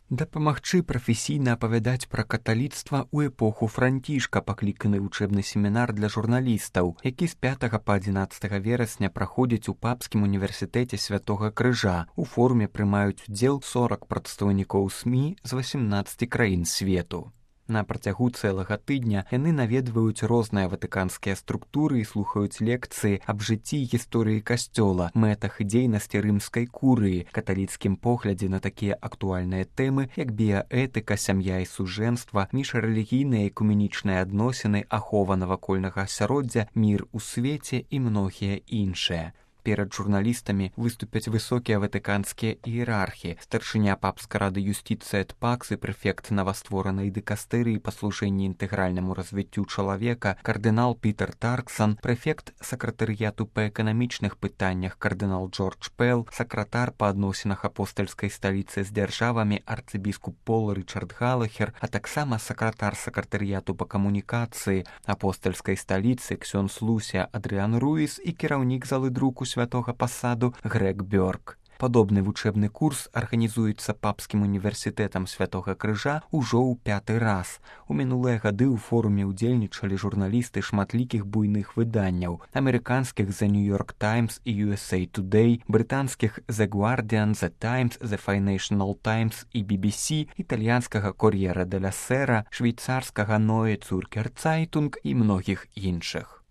Дапамагчы прафесійна апавядаць пра каталіцтва ў эпоху Францішка пакліканы вучэбны семінар для журналістаў, які з 5 па 11 верасня праходзіць у Папскім універсітэце Святога Крыжа. У форуме прымаюць удзел 40 прадстаўнікоў СМІ з 18 краін свету. На працягу цэлага тыдня яны наведваюць розныя ватыканскія структуры і слухаюць лекцыі аб жыцці і гісторыі касцёла, мэтах і дзейнасці рымскай курыі, каталіцкім поглядзе на такія актуальныя тэмы, як біяэтыка, сям'я і сужэнства, міжрэлігійныя і экуменічныя адносіны, ахова навакольнага асяроддзя, мір у свеце і многія іншыя. Перад журналістамі выступяць высокія ватыканскія іерархі, старшыня папскай рады юстыцыі эт пакс і прэфект новастворанай дыкастэрыі па служэнні інтэгральнаму развіццю чалавека, кардынал Пітер Тарксан, прэфект сакратарыяту па эканамічных пытаннях кардынал Джордж Пэл, сакратар па адносінах апостальскай сталіцы з дзяржавамі арцыбіскуп Пол Рычард Галахер, а таксама сакратар сакратарыяту па камунікацыі апостальскай сталіцы ксёндз Луся Адрыан Руіс і кіраўнік залы друку святога пасаду Грег Бёрк. Падобны вучэбны курс арганізуецца Папскім універсітэтам Святога Крыжа ўжо ў 5-й раз. У мінулыя гады ў форуме ўдзельнічалі журналісты шматлікіх буйных выданняў: амерыканскіх The New York Times і USA Today, брытанскіх The Guardian, The Times, The Financial Times і BBC, італьянскага Corriere della Sera, швейцарскага Neue Zürcher Zeitung і многіх іншых.